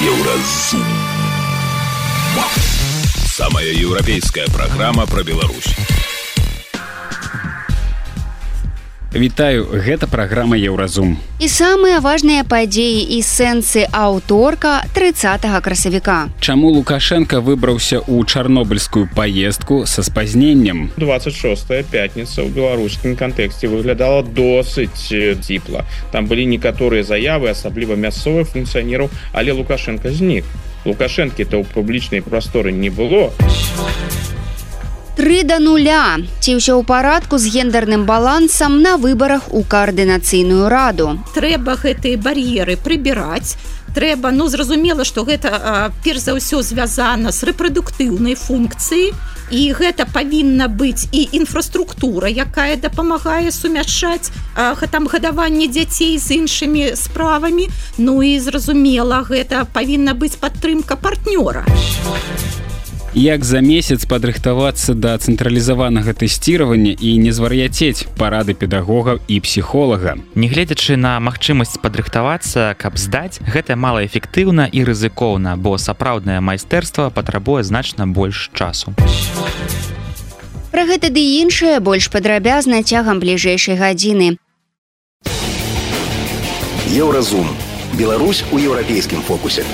Еўразум. Самая еўрапейская программа про Беларусь. Вітаю, гэта праграма Еўразум. І самыя важныя падзеі і сэнсы аўторка 30 красавіка. Чаму Лукашенко выбраўся ў чарнобыльскую паездку са спазненнем? 26-я пятніца ў беларускім кантэксце выглядала досыць ціпла. Там былі некаторыя заявы, асабліва мясцовых функцыянераў, але Лукашенко знік. Лукашэнкі-то ў публічнай прасторы не было. 3-0. Ці ўсё ў парадку з гендерным балансам на выбарах у каардынацыйную раду? Трэба гэтыя бар'еры прыбіраць. Трэба, зразумела, што гэта перш за ўсё звязана з рэпрадуктыўнай функцыяй, і гэта павінна быць і інфраструктура, якая дапамагае сумяшчаць гадаванне дзяцей з іншымі справамі. І зразумела, гэта павінна быць падтрымка партнёра. Як за месяц падрыхтавацца да цэнтралізаванага тэсціравання і не звар'яцець, парады педагогаў і псіхолага. Нягледзячы на магчымасць падрыхтавацца, каб здаць, гэта малаэфектыўна і рызыкоўна, бо сапраўднае майстэрства патрабуе значна больш часу. Пра гэта ды іншае больш падрабязна цягам бліжэйшай гадзіны. Еўразум. Беларусь у еўрапейскім фокусе.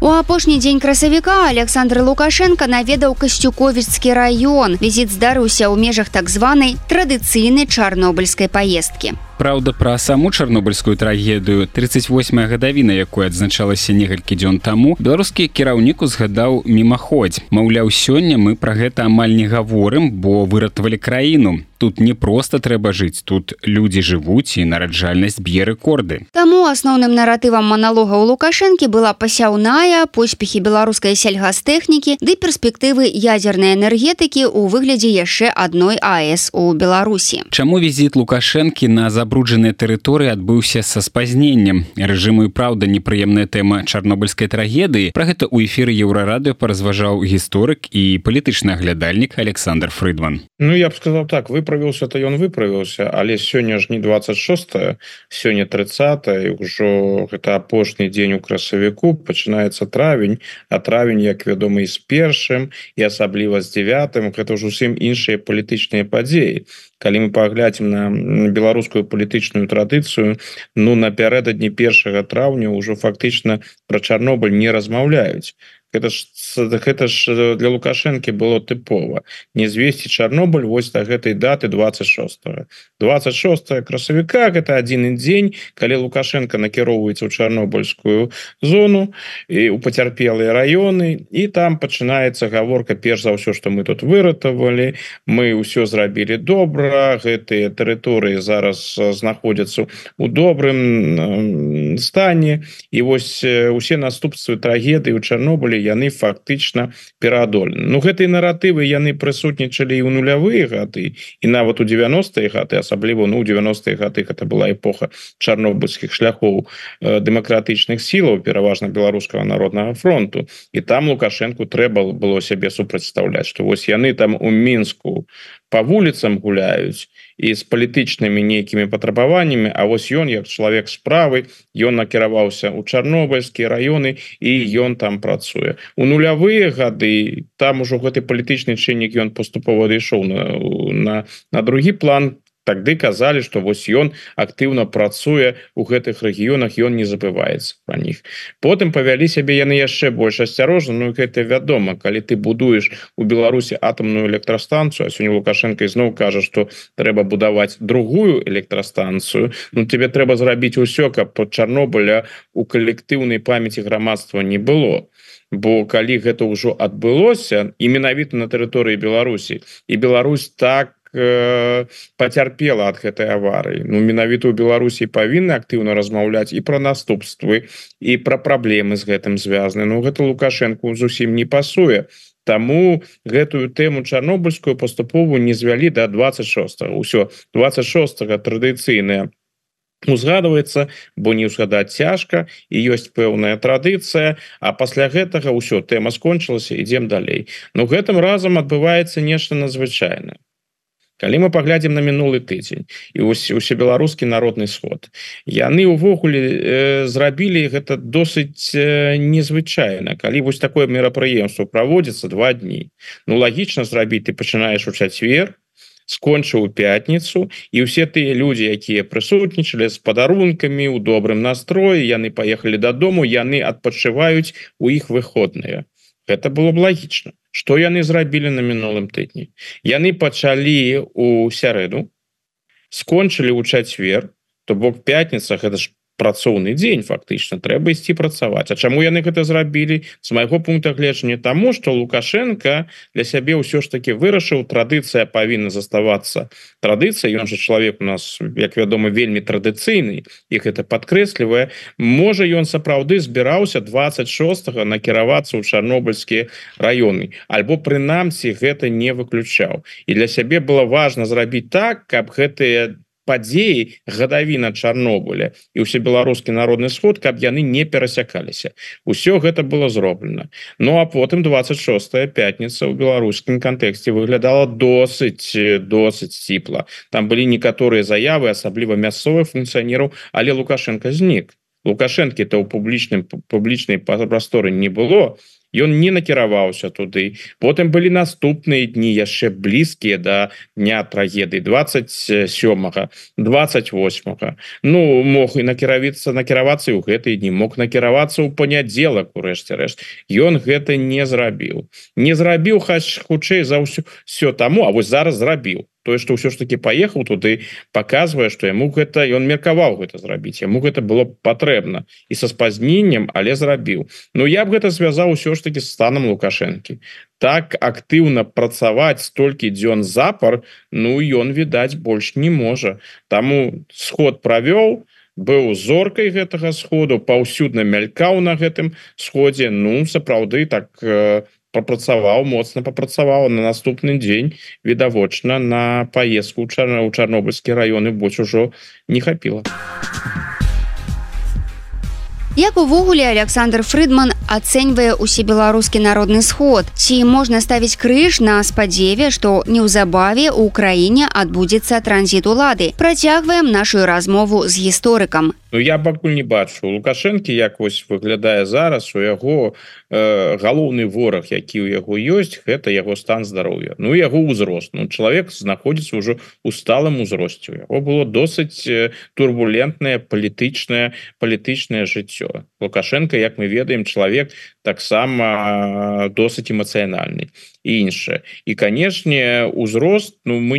У апошні дзень красавіка Александр Лукашенко наведаў Касцюковіцкі раён. Візіт здарыўся ў межах так званай традыцыйнай чарнобыльскай паездкі. Праўда, пра саму чарнобыльскую трагедыю, 38-я гадавіна, якой адзначалася некалькі дзён таму, беларускі кіраўнік узгадаў мімаходзь. Маўляў, сёння мы пра гэта амаль не гаворым, бо выратавалі краіну. Тут не проста трэба жыць, тут людзі жывуць і нараджальнасць б'е рэкорды. Таму асноўным наратывам маналога ў Лукашэнкі была пасяўная, поспехі беларускай сельгастэхнікі ды перспектывы ядзернай энергетыкі ў выглядзе яшчэ адной АЭС у Беларусі. Чаму візіт Лукашэнкі на забруджаныя тэрыторыі адбыўся са спазненнем? Рэжыму і праўда непрыемная тэма чарнобыльскай трагедыі. Пра гэта ў эфіры Еўрарадыё паразважаў гісторык і палітычны аглядальнік Александр Фрыдман. Я б сказаў так, выправіўся-то ён выправіўся, але сёння ж не 26-е, сёння 30-е, ўжо гэта апошні дзень у красавіку, пачынаецца травень, а травень, як вядома, і з першым, і асабліва з 9-м, гэта ўжо зусім іншыя палітычныя падзеі. Калі мы паглядзім на беларускую палітычную традыцыю, напярэдадні 1 траўня ўжо фактычна пра Чарнобыль не размаўляюць. Гэта ж для Лукашэнкі было тыпова. Не звесці Чарнобыль вось да гэтай даты 26-го. 26 красавіка – гэта адзін дзень, калі Лукашенко накіроўваецца ў чарнобыльскую зону і ў пацярпелыя раёны, і там пачынаецца гаворка перш за ўсё, што мы тут выратавалі, мы ўсё зрабілі добра, гэтыя тэрыторыі зараз знаходзяцца ў добрым стане, і вось усе наступствы трагедыі ў Чарнобылі яны фактычна пераадолены. Гэтыя наратывы яны прысутнічалі і ў нулявыя гады, і нават у 90-е гады, асабліва ў 90-е гады гэта была эпоха чарнобыльскіх шляхоў дэмакратычных сілаў, пераважна беларускага народнага фронту. І там Лукашэнку трэба было сябе супрацьстаўляць, што вось яны там у Мінску по вуліцам гуляюць і з палітычнымі нейкімі патрабаваннямі, а вось ён, як чалавек справы, ён накіраваўся ў чарнобыльскія раёны і ён там працуе. У нулявыя гады там ужо гэты палітычны чыннік ён паступова адышоў на другі план. Тады казалі, што вось ён актыўна працуе ў гэтых рэгіёнах, ён не забываецца пра них. Потым павялі сябе яны яшчэ больш асцярожна, гэта вядома, калі ты будуеш у Беларусі атамную электрастанцыю, а сёння Лукашенко ізноў кажа, што трэба будаваць другую электрастанцыю, тебе трэба зрабіць усё, каб под Чарнобыля у калектыўнай памяці грамадства не было. Бо калі гэта ўжо адбылося, і менавіта на тэрыторыі Беларусі, і Беларусь так пацярпела ад гэтай аварыі. Менавіта ў Беларусі павінны актыўна размаўляць і пра наступствы, і пра праблемы з гэтым звязаны. Гэта Лукашэнку зусім не пасуе. Таму гэтую тэму чарнобыльскую паступова не звялі да 26-го. Усё, 26-го традыцыйная узгадваецца, бо не ўзгадаць цяжка, і ёсць пэўная традыцыя, а пасля гэтага ўсё, тэма скончылася, ідзем далей. Гэтым разам адбываецца нешта надзвычайнае. Калі мы паглядзім на мінулы тыдзень і усебеларускі народны сход, яны увогуле зрабілі гэта досыць незвычайна. Калі вось такое мерапрыемство праводзіцца 2 дні, ну лагічна зрабіць, ты пачынаеш у чацвер, скончыў у пятніцу, і ўсе тыя людзі, якія прысутнічалі з падарункамі у добрым настроі, яны паехалі дадому, яны адпачываюць у іх выходныя. Гэта было б лагічна. Што яны зрабілі на мінулым тыдні? Яны пачалі у сярэду, скончылі ў чацвер, то бок пятніца, гэта ж працоўны дзень, фактычна, трэба ісці працаваць. А чаму яны гэта зрабілі? З майго пункта гледжання таму, што Лукашенко для сябе ўсё ж таки вырашыў, традыцыя павінна заставацца традыцыяй, ён жа чалавек у нас, як вядома, вельмі традыцыйны, і гэта падкрэслівае. Можа, ён сапраўды збіраўся 26-го накіравацца ў чарнобыльскія раёны, альбо прынамсі гэта не выключаў. І для сябе было важна зрабіць так, каб гэтыя падзеі гадавіна Чарнобыля і ўсебеларускі народны сход, каб яны не перасякаліся. Усё гэта было зроблена. Ну а потым 26-я пятніца ў беларускім кантэксце выглядала досыць ціпла. Там былі некаторыя заявы, асабліва мясцовых функцыянераў, але Лукашенко знік. Лукашэнкі-то ў публічнай прасторы не было. Ён не накіраваўся туды. Потым былі наступныя дні яшчэ блізкія да дня трагедыі 27-го, 28-го. Ну, мог і накіравацца і ў гэтыя дні, мог накіравацца ў панядзелак, урэшце рэшт. Ён гэта не зрабіў. Не зрабіў, хутчэй за ўсё таму, а вось зараз зрабіў. Тое, што ўсё ж таки паехаў туды, паказвае, што яму гэта, ён меркаваў гэта зрабіць, яму гэта было патрэбна і са спазненнем, але зрабіў. Ну я б гэта звязаў усё ж таки з станам Лукашэнкі. Так актыўна працаваць столькі дзён запар, ну ён, відаць, больш не можа. Таму сход правёў, быў зоркай гэтага сходу, паўсюдна мялькаў на гэтым сходзе, ну сапраўды так моцна папрацаваў. На наступны дзень, відавочна, на паездку ў чарнобыльскія раёны больш ужо не хапіла. Як увогуле Александр Фрыдман ацэньвае усебеларускі народны сход? Ці можна ставіць крыж на спадзеве, што неўзабаве ў краіне адбудзецца транзіт улады? Працягваем нашу размову з гісторыкам. Ну я пакуль не бачу. Лукашэнкі, як вось выглядае зараз, у яго галоўны вораг, які ў яго ёсць, гэта яго стан здароўя. Ну яго ўзрост. Ну чалавек знаходзіцца ўжо ў сталым узросце. У яго было досыць турбулентнае палітычнае жыццё. Лукашенко, як мы ведаем, чалавек таксама досыць эмацыянальны і іншае. І, канешне, узрост, ну мы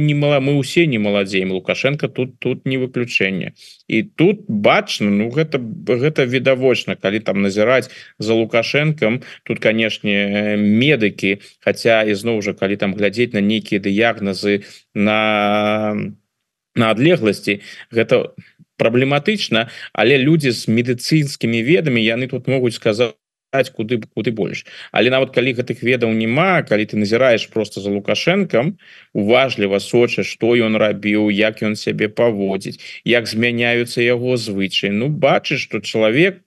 ўсе не маладзеем. Лукашенко тут не выключэнне. І тут бачна, ну гэта відавочна, калі там назіраць за Лукашенком, тут, канешне, медыкі, хаця ізноў жа, калі там глядзець на нейкія дыягназы на адлегласці, гэта праблематычна, але людзі з медыцынскімі ведамі, яны тут могуць сказаць куды больш. Але нават калі гэтых ведаў няма, калі ты назіраеш просто за Лукашенком, уважліва сочыш, што ён рабіў, як ён сябе паводзіць, як змяняюцца яго звычаі, ну бачыш, што чалавек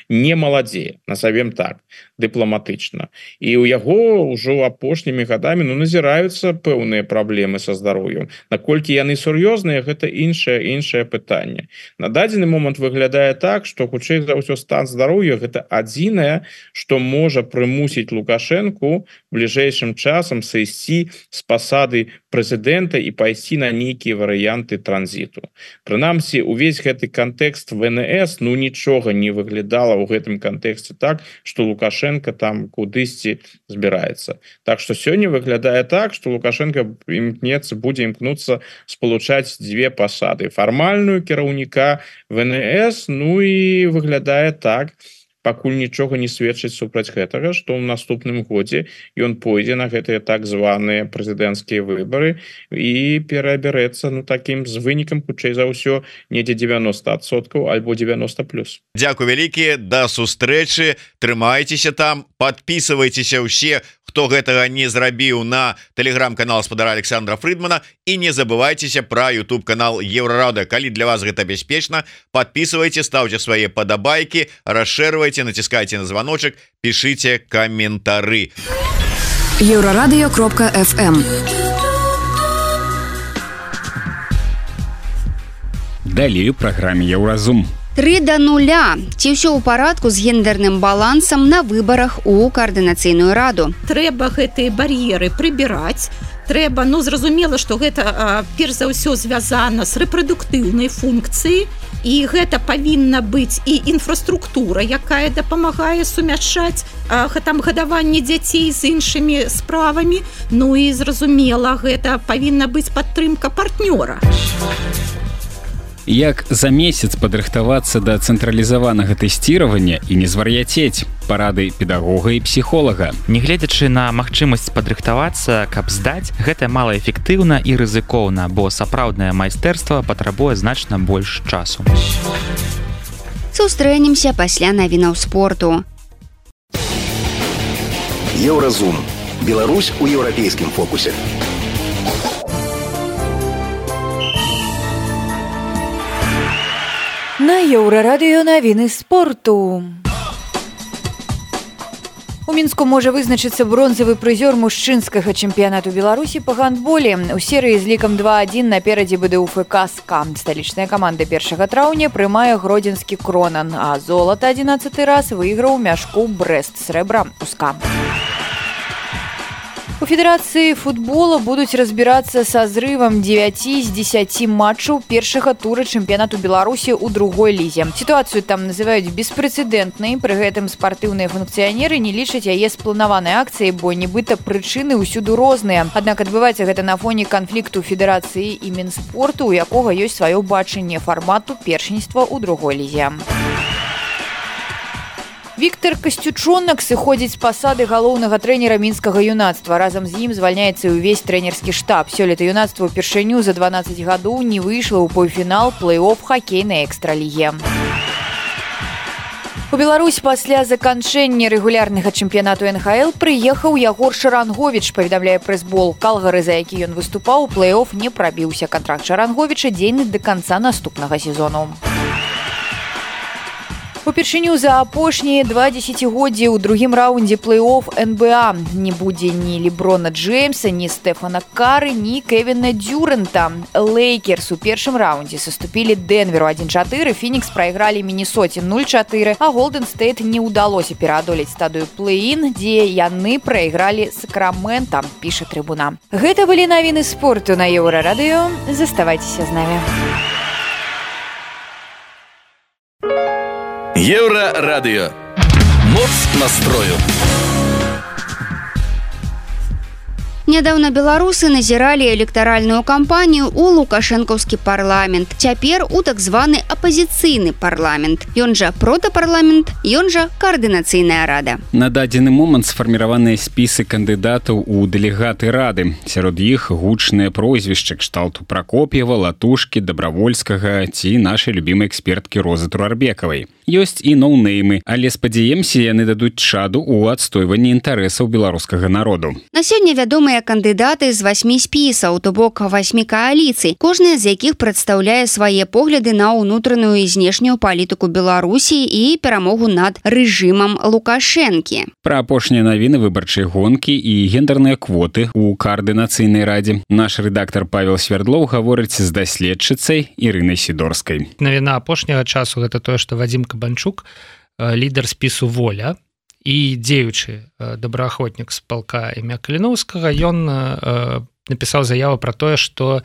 не маладзее, назовем так, дыпламатычна. І ў яго ўжо апошнімі гадамі назіраюцца пэўныя праблемы са здароўем. Наколькі яны сур'ёзныя, гэта іншае пытанне. На дадзены момант выглядае так, што хутчэй за ўсё стан здароўя гэта адзінае, што можа прымусіць Лукашэнку бліжэйшым часам сысці з пасады прэзідэнта і пайсці на нейкія варыянты транзіту. Прынамсі, увесь гэты кантэкст ВНС, ну нічога не выглядала ў гэтым кантэксце так, што Лукашенко там кудысьці збіраецца. Так што сёння выглядае так, што Лукашенко будзе імкнуцца спалучаць дзве пасады. Фармальную кіраўніка ВНС, ну і выглядае так, пакуль нічога не сведчыць супраць гэтага, што ў наступным годзе ён пойдзе на гэтыя так званыя прэзідэнцкія выбары і перабярэцца такім з вынікам, хутчэй за ўсё, недзе 90% альбо 90+. Дзякуй вялікі, да сустрэчы, трымайцеся там, подписывайтеся ўсе, хто гэтага не зрабіў, на тэлеграм-канал спадара Александра Фрыдмана, і не забывайцеся пра YouTube-канал Еўрарада. Калі для вас гэта бяспечна, подписывайте, ставьте свае падабайкі, расшэрвайце, націскайце на званочак, пішыце каментары. Еўрарадыё.фм Далей у праграме Еўразум. 3-0. Ці ўсё ў парадку з гендерным балансам на выбарах у каардынацыйную раду? Трэба гэтыя бар'еры прыбіраць. Трэба, зразумела, што гэта перш за ўсё звязана з рэпрадуктыўнай функцыяй, і гэта павінна быць і інфраструктура, якая дапамагае сумяшчаць там гадаванне дзяцей з іншымі справамі. І зразумела, гэта павінна быць падтрымка партнёра. Як за месяц падрыхтавацца да цэнтралізаванага тэсціравання і не звар'яцець? Парады педагога і псіхолага. Нягледзячы на магчымасць падрыхтавацца, каб здаць, гэта малаэфектыўна і рызыкоўна, бо сапраўднае майстэрства патрабуе значна больш часу. Сустрэнемся пасля навінаў спорту. Еўразум. Беларусь у еўрапейскім фокусе. На Еўрарадыё навіны спорту. У Мінску можа вызначыцца бронзавы прызёр мужчынскага чэмпіянату Беларусі па гандболе. У серыі з лікам 2-1 наперадзе БДУФК «СКА». Сталічная каманда 1 траўня прымае гродзенскі «Кронан», а золата 11-й раз выйграў мяшку «Брэст» срэбра ў «СКА». У Федэрацыі футбола будуць разбірацца са зрывам 9 з 10 матчаў першага тура чэмпіянату Беларусі ў другой лізе. Сітуацыю там называюць беспрэцэдэнтнай, пры гэтым спартыўныя функцыянеры не лічаць яе спланаванай акцыяй, бо нібыта прычыны ўсюды розныя. Аднак адбываецца гэта на фоне канфлікту Федэрацыі і Мінспорту, у якога ёсць сваё бачанне фармату першынства ў другой лізе. Віктор Касцючонак сыходзіць з пасады галоўнага трэнера мінскага юнацтва. Разам з ім звальняецца і ўвесь трэнерскі штаб. Сёлета юнацтва ўпершыню за 12 гадоў не выйшла ў паўфінал плэй-оф хакейнай экстралігі. У Беларусь пасля заканчэння рэгулярнага чэмпіянату НХЛ прыехаў Ягор Шаранговіч, паведамляе прэс-бол. Калгары, за які ён выступаў, у плэй-оф не прабіўся. Кантракт Шаранговіча дзейны да канца наступнага сезону. Упершыню за апошнія 2 дзесяцігоддзі ў другім раўндзе плэй-оф НБА не будзе ні Леброна Джеймса, ні Стэфана Кары, ні Кевіна Дюрэнта. Лейкерс у першым раўндзе саступілі Дэнверу 1-4, Фінікс прайгралі Міннесоце 0-4, а Голдэн Стэйт не ўдалося пераадолець стадыю плэй-ін, дзе яны прайгралі Сакрамента, піша Трыбуна. Гэта былі навіны спорту на Еўрарадыё. Заставайцеся з намі. Еўрарадыё. Моц настрою. Нядаўна беларусы назіралі электаральную кампанію ў лукашэнкаўскі парламент. Цяпер у так званы апазіцыйны парламент. Ён жа протапарламент, ён жа каардынацыйная рада. На дадзены момант сфарміраваныя спісы кандыдатаў у дэлегаты рады. Сярод іх гучныя прозвішчы кшталту Пракоп'ева, Латушкі, Дабравольскага ці нашай любімай эксперткі Розы Турарбекавай. Ёсць і ноунеймы, але спадзяемся, яны дадуць чаду ў адстойванні інтарэсаў беларускага народу. На сёння вядомыя кандыдаты з 8 спісаў, то бок 8 кааліцый, кожная з якіх прадстаўляе свае погляды на ўнутраную і знешнюю палітыку Беларусі і перамогу над рэжымам Лукашэнкі. Пра апошнія навіны выбарчай гонкі і гендерныя квоты ў каардынацыйнай радзе наш рэдактар Павел Свердлоў гаворыць з даследчыцай Ірынай Сідорскай. Навіна апошняга часу гэта тое, што Вадзім Кабанчук, лідар спісу «Воля» і дзеючы добраахвотнік з палка імя Каліноўскага, ён напісаў заяву пра тое, што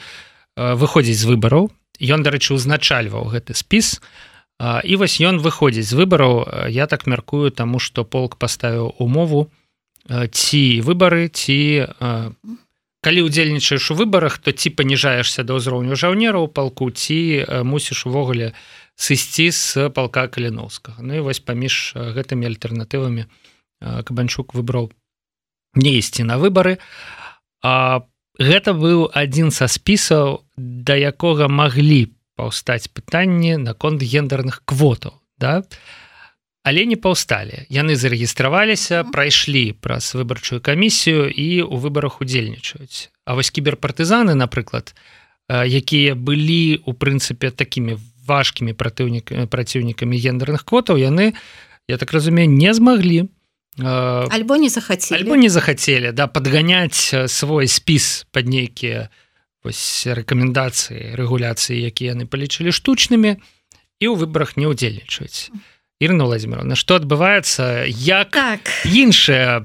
выходзіць з выбараў. Ён, дарэчы, узначальваў гэты спіс. І вось ён выходзіць з выбараў, я так мяркую, таму што полк паставіў умову, ці выбары, ці калі ўдзельнічаеш у выбарах, то ці паніжаешся да ўзроўню жаўнераў палку, ці мусіш увогуле сысці з палка Каліноўскага. І вось паміж гэтымі альтэрнатывамі Кабанчук выбраў не ісці на выбары. Гэта быў адзін са спісаў, да якога маглі паўстаць пытанні наконт гендерных квотаў. Да? Але не паўсталі. Яны зарэгістраваліся, прайшлі праз выбарчую камісію і ў выбарах удзельнічаюць. А вось кіберпартызаны, напрыклад, якія былі, у прынцыпе, такімі важкімі праціўнікамі гендерных квотаў, яны, я так разумею, не змаглі альбо не захацелі падганяць свой спіс пад нейкія рэкамендацыі рэгуляцыі, якія яны палічылі штучнымі, і ў выбарах не ўдзельнічаюць. Ірына Владимировна, што адбываецца, як іншыя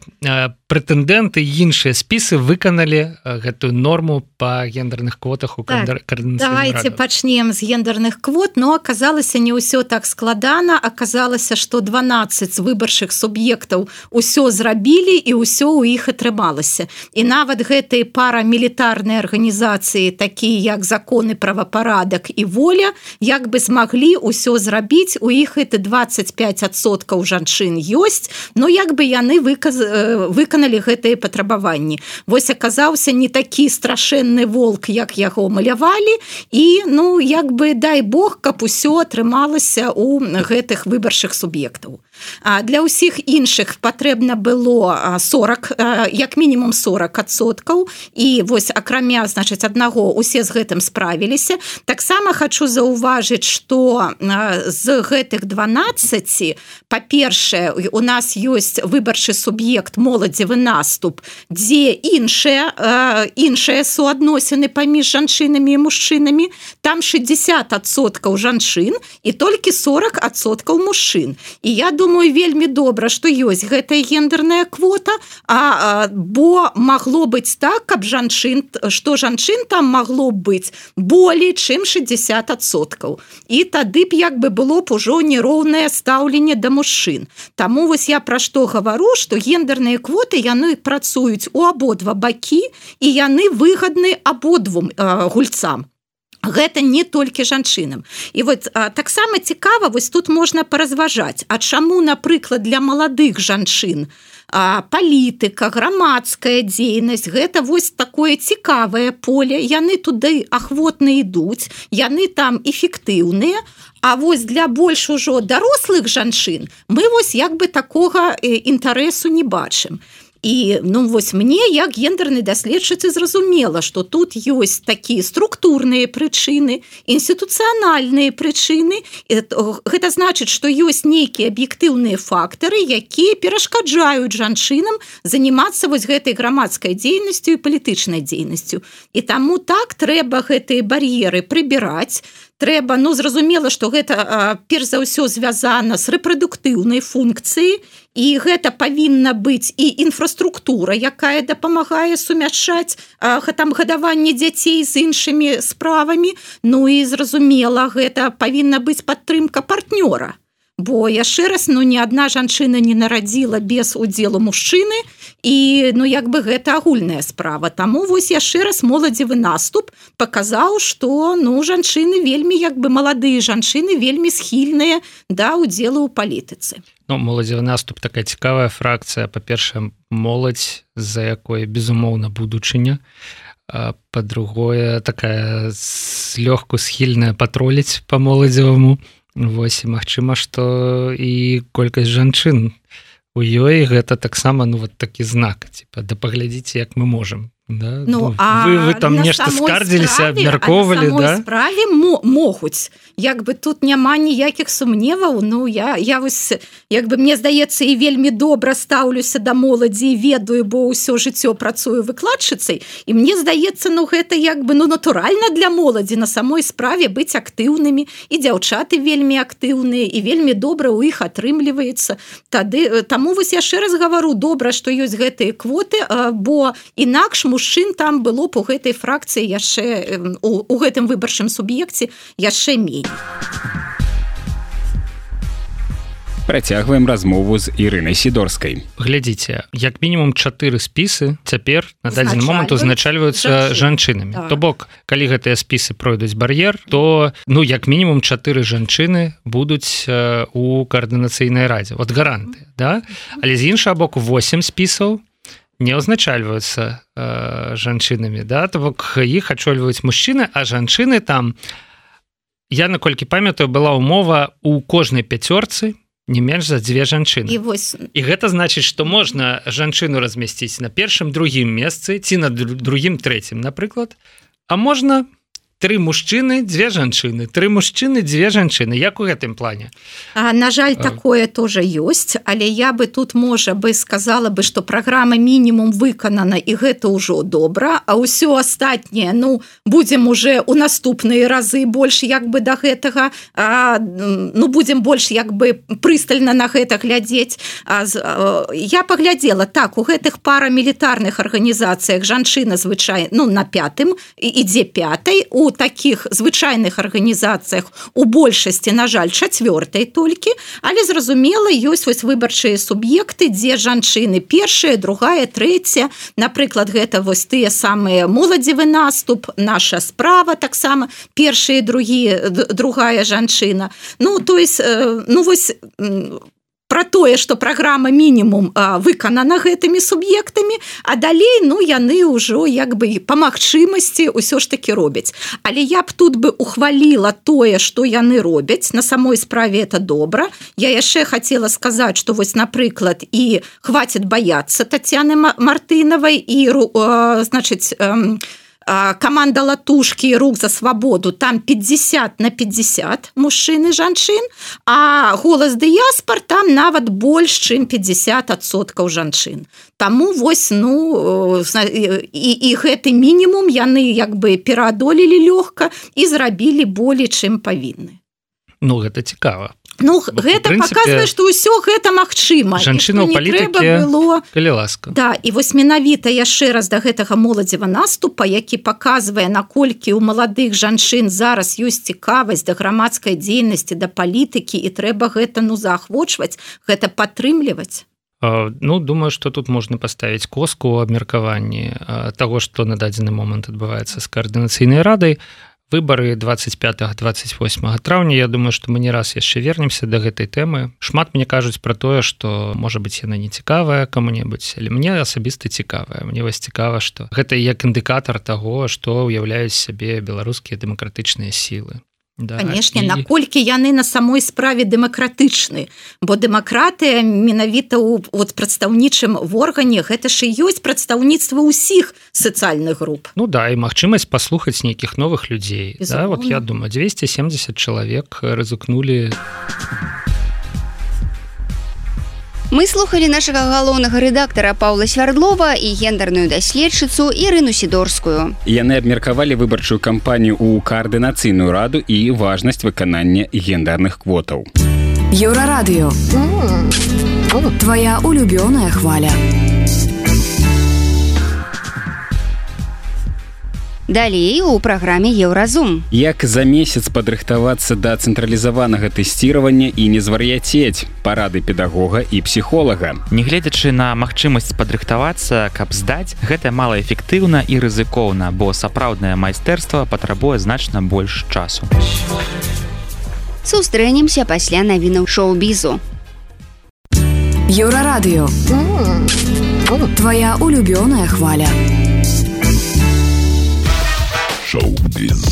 прэтэндэнты, іншыя спісы выканалі гэтую норму па гендерных квотах у координацыйным радзе? Давайте пачнем з гендерных квот, но аказалася не ўсё так складана, аказалася, што 12 выбарчых суб'ектаў усё зрабілі і ўсё ў іх атрымалася. І нават гэтыя парамілітарныя арганізацыі, такія як законы, правапарадак і воля, як бы змаглі ўсё зрабіць, у іх это 25% жанчын ёсць, но як бы яны выканалі гэтыя патрабаванні. Вось аказаўся не такі страшэнны волк, як яго малявалі, і, ну, як бы, дай Бог, каб усё атрымалася у гэтых выбарчых суб'ектаў. Для ўсіх іншых патрэбна было 40, як мінімум 40%, і вось акрамя, значыць, аднаго усе з гэтым справіліся. Таксама хочу заўважыць, што з гэтых 12, па-першае, у нас ёсць выбарчы суб'ект моладзевы наступ, дзе іншыя суадносіны паміж жанчынамі і мужчынамі, там 60% жанчын і толькі 40% мужчын. І я думаю, вельмі добра, што ёсць гэтая гендерная квота, бо магло быць так, каб што жанчын там магло быць болей, чым 60%. І тады б як бы было б ужо нероўнае стаўленне да мужчын. Таму вось я пра што гавару, што гендерныя квоты, яны працуюць у абодва бакі, і яны выгадны абодвум гульцам. Гэта не толькі жанчынам. І вот таксама цікава, вось тут можна паразважаць, а чаму, напрыклад, для маладых жанчын палітыка, грамадская дзейнасць, гэта вось такое цікавае поле, яны туды ахвотна ідуць, яны там эфектыўныя, а вось для больш ужо дарослых жанчын мы вось як бы такога інтарэсу не бачым. І, ну, вось мне, як гендернай даследчыцы, зразумела, што тут ёсць такія структурныя прычыны, інстытуцыянальныя прычыны. Гэта значыць, што ёсць нейкія аб'ектыўныя фактары, якія перашкаджаюць жанчынам занимацца вось гэтай грамадскай дзейнасцю і палітычнай дзейнасцю. І таму так трэба гэтыя бар'еры прыбіраць. Трэба, ну, зразумела, што гэта перш за ўсё звязана з рэпрадуктыўнай функцыяй, і гэта павінна быць і інфраструктура, якая дапамагае сумяшчаць там гадаванне дзяцей з іншымі справамі. Ну і зразумела, гэта павінна быць падтрымка партнёра. Бо яшчэ раз, ну, ні адна жанчына не нарадзіла без удзелу мужчыны, і, ну, як бы гэта агульная справа. Таму вось яшчэ раз моладзевы наступ паказаў, што, ну, жанчыны вельмі, як бы маладыя жанчыны вельмі схільныя да удзелу ў палітыцы. Ну, моладзевы наступ такая цікавая фракцыя. Па-першае, моладзь, за якой, безумоўна, будучыня. Па-другое, такая злёгку схільная патроліць па моладзеваму. Вось, і магчыма, што і колькасць жанчын у ёй гэта таксама, ну, вот такі знак, типа, да паглядзіце, як мы можам. Да? Ну, вы там нешта скардзіліся, абмяркоўвалі, да? На самой справе могуць. Як бы тут няма ніякіх сумневаў. Ну, я вось, як бы, мне здаецца, і вельмі добра стаўлюся да моладзі, ведаю, бо ўсё жыццё працую выкладчыцай, і мне здаецца, ну, гэта як бы, ну, натуральна для моладзі на самой справе быць актыўнымі, і дзяўчаты вельмі актыўныя, і вельмі добра ў іх атрымліваецца. Таму вось яшчэ раз гавару, добра, што ёсць гэтыя квоты, бо інакш мужчын там было б у гэтай фракцыі яшчэ, у гэтым выбарчым суб'екце яшчэ меней. Працягваем размову з Ірынай Сідорскай. Глядзіце, як мінімум 4 спісы цяпер на дадзены момант узначальваюцца жанчынамі. Так. То бок, калі гэтыя спісы пройдуць бар'ер, то, ну, як мінімум 4 жанчыны будуць у координацыйнай радзе. Вот гарантыя, да? Але з іншага боку 8 спісаў не узначальваюцца жанчынамі, да? То бок, іх ачольваюць мужчыны, а жанчыны там, я, наколькі памятаю, была умова у кожнай 5 не менш за 2 жанчыны. І гэта значыць, што можна жанчыну размясціць на першым, другім месцы, ці на другім, трэцім, напрыклад, а можна 3 мужчыны 2 жанчыны 3 мужчыны 2 жанчыны як у гэтым плане на жаль такое тоже ёсць але я бы тут можа бы сказала бы что праграма мінімум выканана і гэта ўжо добра а ўсё астатняе ну будем уже у наступныя разы больш як бы до гэтага ну будем больш як бы прыстальна на гэта глядзець я паглядзела так у гэтых парамілітарных арганізацыях жанчына звычай ну на 5-м ідзе 5-й у таких звычайных арганізацыях у большасці на жаль 4-й толькі але зразумела ёсць вось выбарчыя суб'екты дзе жанчыны першая другая трэця напрыклад гэта вось тыя самыя моладзевы наступ наша справа таксама першыя другая жанчына ну то есть ну вось про тое, што праграма мінімум выканана гэтымі суб'ектамі, а далей ну яны ўжо як бы па магчымасці ўсё ж такі робяць. Але я б тут бы ухваліла тое, што яны робяць, на самой справе это добра. Я яшчэ хацела сказаць, што вось напрыклад і хватит баяцца Татьяны Мартынавай і значыць команда Латушкі рук за свабоду там 50 на 50 мужчын і жанчын, а голас дыяспор там нават больш чым 50% жанчын. Таму вось ну і гэты мінімум яны як бы пераадолелі лёгка і зрабілі болей чым павінны. Ну гэта цікава. Ну, гэта принципе, показвае, што ўсё гэта магчыма. Жанчына ў палітыкі, калі ласка. Да, і вось менавіта яшчэ раз да гэтага моладзева наступа, які паказвае, наколькі ў маладых жанчын зараз ёсць цікавасць да грамадскай дзейнасці, да палітыкі, і трэба гэта ну заахвочваць, гэта падтрымліваць. Ну, думаю, што тут можна паставіць коску ў абмеркаванні таго, што на дадзены момант адбываецца з каардынацыйнай радай. Выборы 25-28 траўня, я думаю, што мы не раз яшчэ вернемся да гэтай тэмы. Шмат мне кажуць пра тое, што, можа быць, яна не цікавая каму-небудзь, але мне асабіста цікавая. Мне вось цікава, што гэта як індыкатар таго, што ўяўляюць сябе беларускія дэмакратычныя сілы. Да, канешне, наколькі яны на самой справе дэмакратычны, бо дэмакратыя менавіта ў прадстаўнічым органе, гэта ж і ёсць прадстаўніцтва ўсіх сацыяльных груп. Ну да, і магчымасць паслухаць нейкіх новых людзей. Да, вот я думаю, 270 чалавек рызыкнулі. Мы слухали нашага галоўнага рэдактара Паўла Свярдлова і гендерную даследчыцу Ірыну Сідорскую. Яны абмеркавалі выбарчую кампанію ў каардынацыйную раду і важнасць выканання гендерных квотаў. Еўрарадыё. Твоя улюбёная хваля. Далей у праграме Еўразум. Як за месяц падрыхтавацца да цэнтралізаванага тэсціравання і не звар'яцець, парады педагога і псіхолага. Нягледзячы на магчымасць падрыхтавацца, каб здаць, гэта малаэфектыўна і рызыкоўна, бо сапраўднае майстэрства патрабуе значна больш часу. Сустрэнемся пасля навінаў шоу-бізу. Еўрарадыё. Твоя улюбёная хваля. Шоу-біз.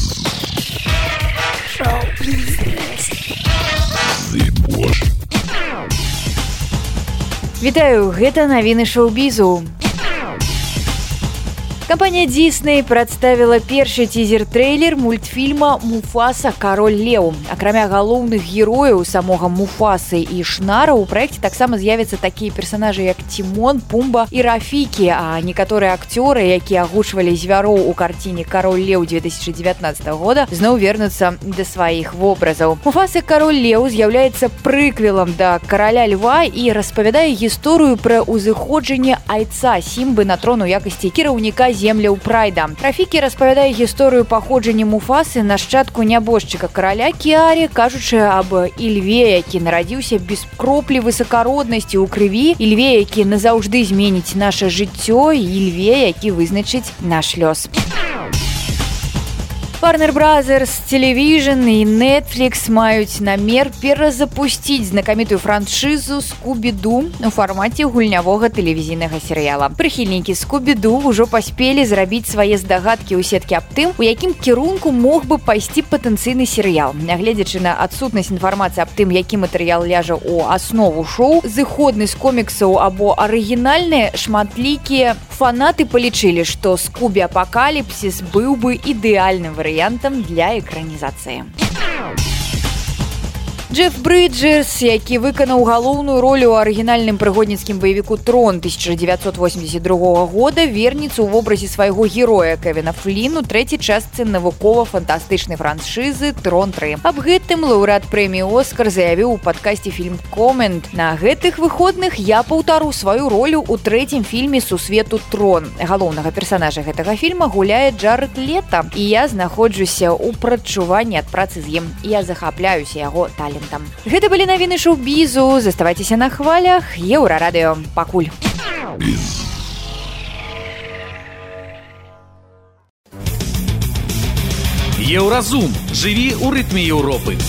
Вітаю, гэта навіны шоу-бізу. Кампанія Disney прадставіла першы тизер-трэйлер мультфільма «Муфаса. Кароль леў». Акрамя галоўных герояў самога Муфасы і Шнара, у праекце таксама з'явяцца такія персанажы, як Тимон, Пумба і Рафікі, а некаторыя акцёры, якія агучвалі звяроў у карціне «Кароль леў» 2019 года, зноў вернуцца да сваіх вобразаў. Муфаса «Кароль леў» з'яўляецца прыквелам да «Караля льва» і распавядае гісторыю пра ўзыходжанне айца Сімбы на трон у якасці кіраўніка земляў прайда. Рафікі распавядае гісторыю паходжання Муфасы, нашчадку нябожчыка караля Кіарі, кажучы аб ільве, які нарадзіўся без кроплі высакароднасці ў крыві, ільве, які назаўжды зменіць наша жыццё, і ільве, які вызначыць наш лёс. Warner Brothers, Television і Netflix маюць намер перазапусціць знакамітую франшызу «Скубі-Ду» у фармаце гульнявога тэлевізійнага серыяла. Прыхільнікі «Скубі-Ду» ўжо паспелі зрабіць свае здагадкі ў сеткі аб тым, у якім кірунку мог бы пайсці патэнцыйны серыял. Нягледзячы на адсутнасць інфармацыі аб тым, які матэрыял ляжа ў аснову шоу, зыходны з коміксаў або арыгінальныя, шматлікія Фанаты палічылі, што Скубі-апакаліпсіс быў бы ідэальным варыянтам для экранізацыі. Джеф Бриджерс, які выканаў галоўную ролю ў арыгінальным прыгодніцкім баевіку «Трон» 1982 года, вернецца ў вобразе свайго героя Кевіна Флін у трэцяй частцы навукова-фантастычнай франшызы «Трон 3». Аб гэтым лаўрэат прэміі «Оскар» заявіў у падкасці «Фільм Комент». На гэтых выходных я паўтару сваю ролю ў трэцім фільме «Сусвету Трон». Галоўнага персанажа гэтага фільма гуляе Джаред Лето, і я знаходжуся ў прадчуванні ад працы з ім. Я захапляюся яго талентам. Гэта былі навіны шоу-бізу. Заставайцеся на хвалях Еўрарадыё. Пакуль. Еўразум. Жыві ў рытме Еўропы.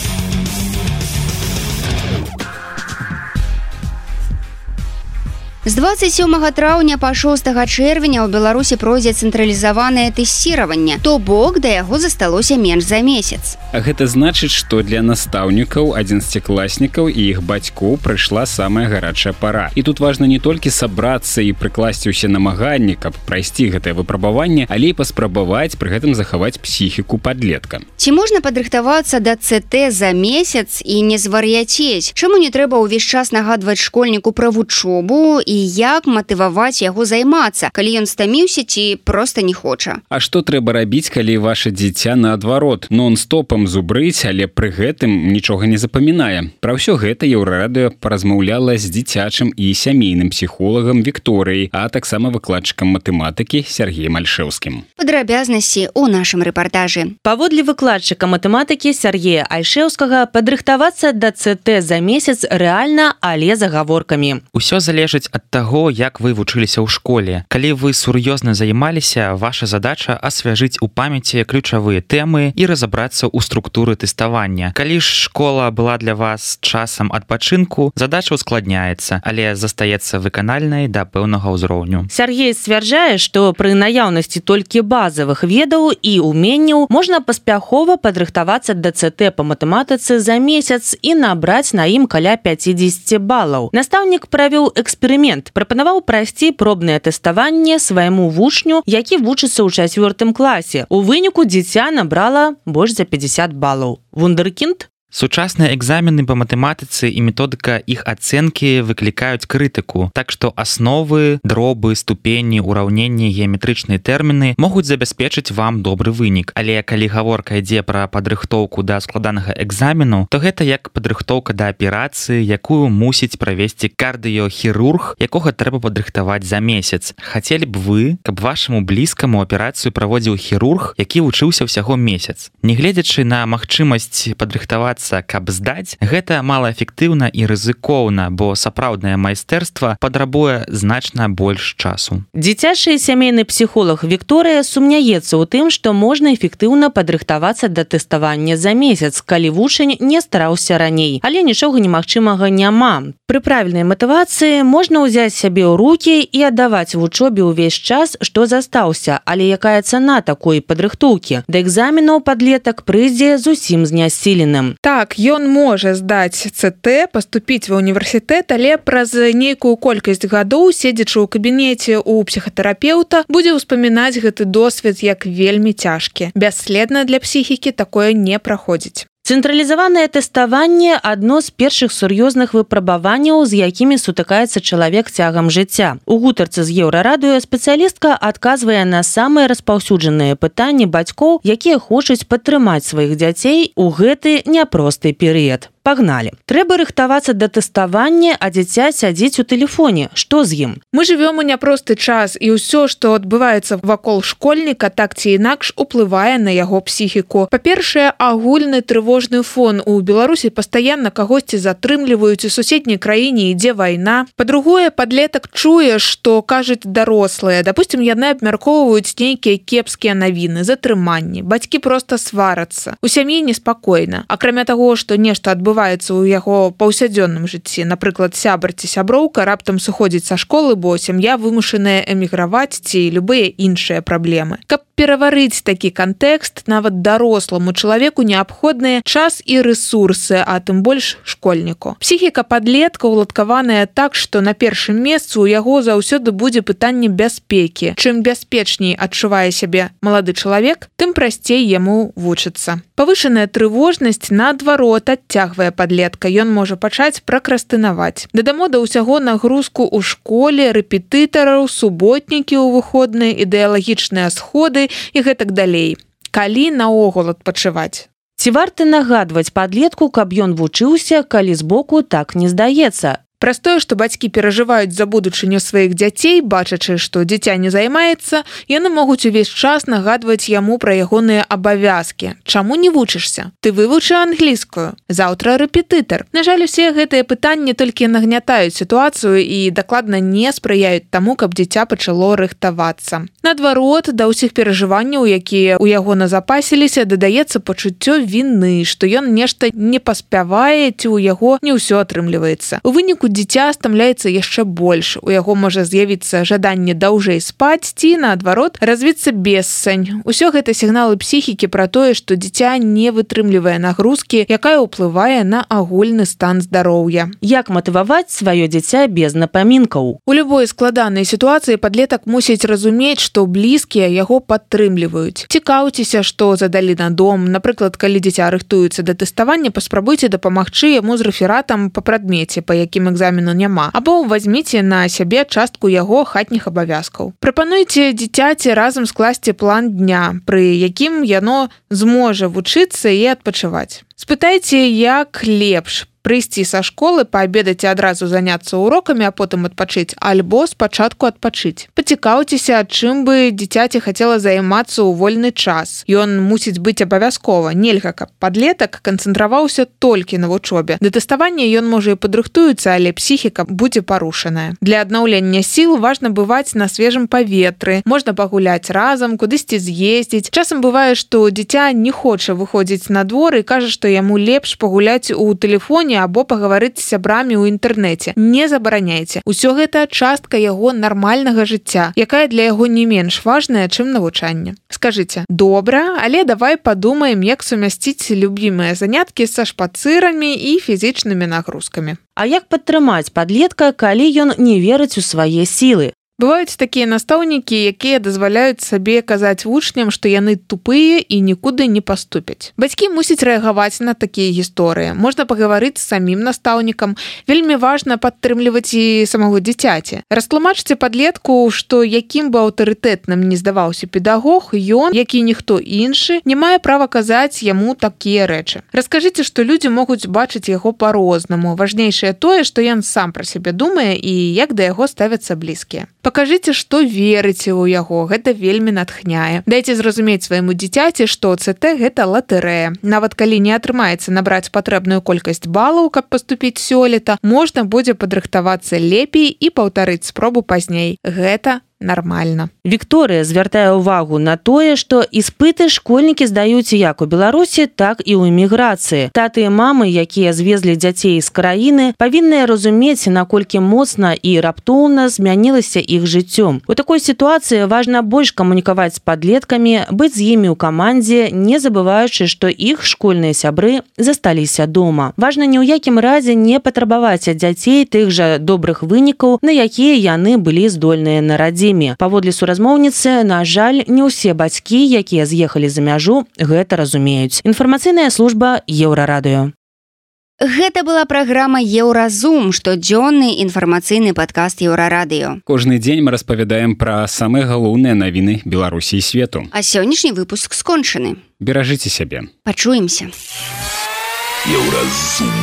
З 27 траўня па 6 чэрвеня ў Беларусі пройдзе цэнтралізаванае тэсціраванне, то бок да яго засталося менш за месяц. А гэта значыць, што для настаўнікаў, 11класнікаў і іх бацькоў прыйшла самая гарачая пара. І тут важна не толькі сабрацца і прыкласці ўсе намаганні, каб прайсці гэтае выпрабаванне, але і паспрабаваць пры гэтым захаваць псіхіку падлетка. Ці можна падрыхтавацца да ЦТ за месяц і не звар'яцець? Чаму не трэба ўвесь час нагадваць школьніку пра вучобу і як матываваць яго займацца, калі ён стаміўся ці проста не хоча? А што трэба рабіць, калі ваша дзіця наадварот нон-стопам зубрыць, але пры гэтым нічога не запамінае? Пра ўсё гэта Еўрарадыё паразмаўляла з дзіцячым і сямейным псіхолагам Вікторыяй, а таксама выкладчыкам матэматыкі Сергеем Альшэўскім. Падрабязнасці ў нашым рэпартажы. Паводле выкладчыка матэматыкі Сергея Альшэўскага, падрыхтавацца да ЦТ за месяц рэальна, але з агаворкамі. Усё залежыць ад таго, як вы вучыліся ў школе. Калі вы сур'ёзна займаліся, ваша задача асвяжыць у памяці ключавыя тэмы і разабрацца ў структуры тэставання. Калі ж школа была для вас часам адпачынку, задача ускладняецца, але застаецца выканальнай да пэўнага ўзроўню. Сергей сцвярджае, што пры наяўнасці толькі базавых ведаў і уменняў можна паспяхова падрыхтавацца да ЦТ па матэматыцы за месяц і набраць на ім каля 50 балаў. Настаўнік правёў эксперымент. Прапанаваў прайсці пробнае тэставанне свайму вучню, які вучыцца ў 4 класе. У выніку дзіця набрала больш за 50 балаў. Вундеркінд? Сучасныя экзамены па матэматыцы і методыка іх ацэнкі выклікаюць крытыку, так што асновы, дробы, ступені, ураўненні, геаметрычныя тэрміны могуць забяспечыць вам добры вынік. Але калі гаворка ідзе пра падрыхтоўку да складанага экзамену, то гэта як падрыхтоўка да аперацыі, якую мусіць правесці кардыёхірург, якога трэба падрыхтаваць за месяц. Хацелі б вы, каб вашаму блізкаму аперацыю праводзіў хірург, які вучыўся ўсяго месяц. Нягледзячы на магчымасць падрыхтавацца каб здаць, гэта малаэфектыўна і рызыкоўна, бо сапраўднае майстэрства патрабуе значна больш часу. Дзіцячы сямейны псіхолог Вікторыя сумняецца ў тым, што можна эфектыўна падрыхтавацца да тэставання за месяц, калі вучань не стараўся раней. Але нічога немагчымага няма. Пры правільнай матывацыі можна ўзяць сябе ў рукі і аддаваць вучобе ўвесь час, што застаўся. Але якая цана такой падрыхтоўкі? Да экзаменаў падлетак прыйдзе зусім знясіленым. Так, ён можа здаць ЦТ, паступіць ва універсітэт, але праз нейкую колькасць гадоў, седзячы ў кабінеце ў псіхатэрапеўта, будзе ўспамінаць гэты досвед як вельмі цяжкі. Бясследна для псіхікі такое не праходзіць. Цэнтралізаванае тэставанне – адно з першых сур'ёзных выпрабаванняў, з якімі сутыкаецца чалавек цягам жыцця. У гутарцы з Еўрарадыё спецыялістка адказвае на самыя распаўсюджаныя пытанні бацькоў, якія хочуць падтрымаць сваіх дзяцей у гэты няпросты перыяд. Пагналі. Трэба рыхтавацца да тэставання, а дзіця сядзіць у тэлефоне. Што з ім? Мы жывём у няпросты час, і ўсё, што адбываецца вакол школьніка, так ці інакш уплывае на яго псіхіку. Па-першае, агульны трывожны фон. У Беларусі пастаянна кагосьці затрымліваюць, у суседняй краіне ідзе вайна. Па-другое, падлетак чуе, што кажуць дарослыя. Дапусцім, яны абмяркоўваюць нейкія кепскія навіны, затрыманні. Бацькі проста сварацца. У сям'і неспакойна. Акрамя таго, што нешта адбываецца адбываецца ў яго паўсядзённым жыцці. Напрыклад, сябар ці сяброўка раптам сыходзіць са школы, бо сям'я вымушаная эміграваць ці любыя іншыя праблемы. Каб пераварыць такі кантэкст, нават даросламу чалавеку неабходныя час і рэсурсы, а тым больш школьніку. Псіхіка падлетка уладкаваная так, што на першым месцы ў яго заўсёды будзе пытанне бяспекі. Чым бяспечней адчувае сябе малады чалавек, тым прасцей яму вучыцца. Павышаная трывожнасць, наадварот, адцягвае падлетка. Ён можа пачаць пракрастынаваць. Дадамо да ўсяго нагрузку ў школе, рэпетытараў, суботнікі ў выходныя, ідэалагічныя сходы і гэтак далей. Калі наогул адпачываць? Ці варта нагадваць падлетку, каб ён вучыўся, калі збоку так не здаецца? Праз тое, што бацькі перажываюць за будучыню сваіх дзяцей, бачачы, што дзіця не займаецца, яны могуць увесь час нагадваць яму пра ягоныя абавязкі. Чаму не вучышся? Ты вывучы англійскую. Заўтра рэпетытар. На жаль, усе гэтыя пытанні толькі нагнятаюць сітуацыю і дакладна не спрыяюць таму, каб дзіця пачало рыхтавацца. Наадварот, да ўсіх перажыванняў, якія ў яго назапасіліся, дадаецца пачуццё віны, што ён нешта не паспявае ці ў яго не ўсё атрымліваецца. У выніку дзіця стамляецца яшчэ больш. У яго можа з'явіцца жаданне даўжэй спаць ці, наадварот, развіцца бессань. Усё гэта сігналы псіхікі пра тое, што дзіця не вытрымлівае нагрузкі, якая ўплывае на агульны стан здароўя. Як матываваць сваё дзіця без напамінкаў? У любой складанай сітуацыі падлетак мусіць разумець, што блізкія яго падтрымліваюць. Цікаўцеся, што задалі на дом. Напрыклад, калі дзіця рыхтуецца да тэставання, паспрабуйце дапамагчы яму з рэфератам па прадмеце, па якім экзамену няма, або возьміце на сябе частку яго хатніх абавязкаў. Прапануйце дзіцяці разам скласці план дня, пры якім яно зможа вучыцца і адпачываць. Спытайце, як лепш прыйсці са школы, паабедаць і адразу заняцца урокамі, а потым адпачыць, альбо спачатку адпачыць. Пацікаўцеся, чым бы дзіцяці хацела займацца ў вольны час. Ён мусіць быць абавязкова. Нельга, каб падлетак канцэнтраваўся толькі на вучобе. Да тэставання ён можа і падрыхтуецца, але псіхіка будзе парушаная. Для аднаўлення сіл важна бываць на свежым паветры. Можна пагуляць разам, кудысьці з'ездзіць. Часам бывае, што дзіця не хоча выходзіць на двор і кажа, што яму лепш пагуляць у тэлефоне або пагаварыць з сябрамі ў інтэрнэце. Не забараняйце. Усё гэта частка яго нармальнага жыцця, якая для яго не менш важная, чым навучанне. Скажыце, добра, але давай падумаем, як сумясціць любімыя заняткі са шпацырамі і фізічнымі нагрузкамі. А як падтрымаць падлетка, калі ён не верыць у свае сілы? Бываюць такія настаўнікі, якія дазваляюць сабе казаць вучням, што яны тупыя і нікуды не паступяць. Бацькі мусяць рэагаваць на такія гісторыі. Можна пагаварыць з самім настаўнікам. Вельмі важна падтрымліваць і самого дзіцяці. Растлумачце падлетку, што якім бы аўтарытэтным не здаваўся педагог, ён, як і ніхто іншы, не мае права казаць яму такія рэчы. Раскажыце, што людзі могуць бачыць яго па-рознаму. Важнейшае тое, што ён сам пра сябе думае і як да яго ставяцца блізкія. Пакажыце, што верыце ў яго, гэта вельмі натхняе. Дайце зразумець свайму дзіцяці, што ЦТ гэта латарэя. Нават калі не атрымаецца набраць патрэбную колькасць балаў, каб паступіць сёлета, можна будзе падрыхтавацца лепей і паўтарыць спробу пазней. Гэта нармальна. Вікторыя звяртае ўвагу на тое, што іспыты школьнікі здаюць як у Беларусі, так і ў эміграцыі. Таты і мамы, якія звезлі дзяцей з краіны, павінны разумець, наколькі моцна і раптоўна змянілася іх жыццём. У такой сітуацыі важна больш камунікаваць з падлеткамі, быць з імі ў камандзе, не забываючы, што іх школьныя сябры засталіся дома. Важна ні ў якім разе не патрабаваць ад дзяцей тых жа добрых вынікаў, на якія яны былі здольныя на радзіме. Паводле суразмоўніцы, на жаль, не ўсе бацькі, якія з'ехалі за мяжу, гэта разумеюць. Інфармацыйная служба Еўрарадыё. Гэта была праграма Еўразум, штодзённы інфармацыйны падкаст Еўрарадыё. Кожны дзень мы распавядаем пра самыя галоўныя навіны Беларусі і свету. А сённяшні выпуск скончаны. Беражыце сябе. Пачуемся. Еўразум.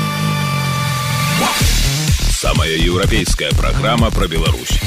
Самая еўрапейская праграма пра Беларусь.